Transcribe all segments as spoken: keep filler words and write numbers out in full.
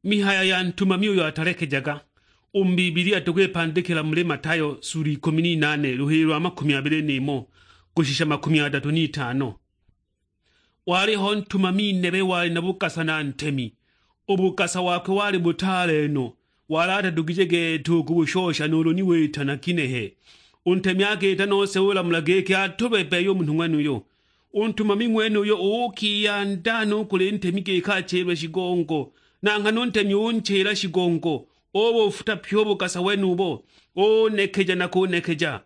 Mihayo ya ntumami uyo atalekejaga. U mu Bibilia tukwipandikila muli Matayo sura ikumi n'inane, luhili lwa makumi abili n'imo kushisha makumi adatu n'itano. Waliho ntumami nebe wali na bugasa na ntemi. U bugasa wakwe wali butaale no, wali atadugije gete u kubushosha nuulu ni wita na kinehe. U ntemi akiita nose ulamula giki atulwe bbeya u munhu ng'wenuyo. U ntumami ng'wenuyo uukiyanda no kuli ntemi giki achilwe shigongo, na nghana u ntemi unchila shigongo, ubufuta pye u bugasa wenubo, unekeja na kunekeja.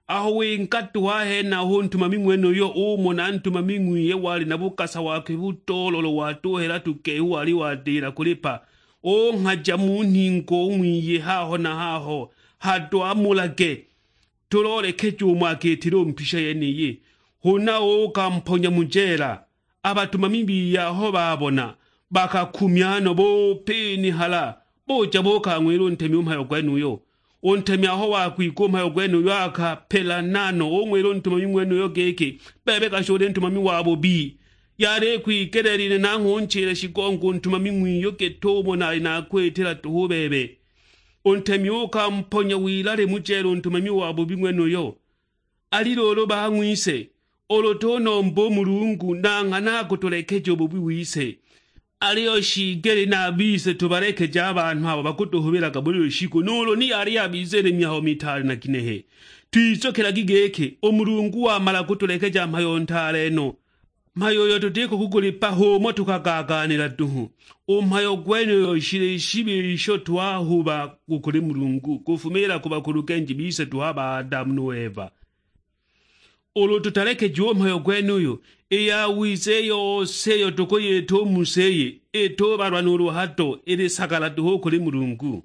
Aho winga duhu a henaho, u ntumami ng'wenuyo umona ntumami ng'wiye wali na bugasa wakwe budoololo, watuhela tugehu wali wadila kulipa, unghaja mu nhingo u ng'wiye haho na haho, hado amulage. Tuloolekeje umo akiitile u mpisha yeniyi, huna uukamponya mu jeela. A batumami biye aho baabona, bakakumya no, bupinihala, buja buukang'wila u ntemi u mhayo gwenuyo. U ntemi aho wagwigwa u mhayo gwenuyo, akapelana no, ung'wila u ntumami ng'wenuyo giki, "Bebe kashule ntumami wabubi! Yali ikwigeleelilwe nangho unchile shigongo u ntumami ng'wiyo git'umo nali nakwitila duhu u bebe." U ntemi uukamponya wilale mu jeela u ntumami wabubi ng'wenuyo. Ali luulu bang'wise, ulu tunomba u Mulungu, na nghana akutulekeja u bubi wise. Aliyo shiigelile na a bise tubalekeje a banhu abo bakutuhubilaga buli lushiku, nuulu ni yali yabiza ili mihayo mitaale na ginehe. Twizukilagi giki, u Mulungu wamala kutulekeja mhayo ntaale no. Mhayo uyo tutiko kugulipa h'umo tukagagaanila duhu. U mhayo gwenuyo shili shibi isho twahuba u kuli Mulungu, kufumiila ku bakulugenji bise duhu a ba Adamu nu Eva. Ulu tutalekejiwe u mhayo gwenuyo, i yawiza i yose iyo tukuyita u mu si iyi, itubalwa nuulu hado, ili sagala duhu u kuli Mulungu.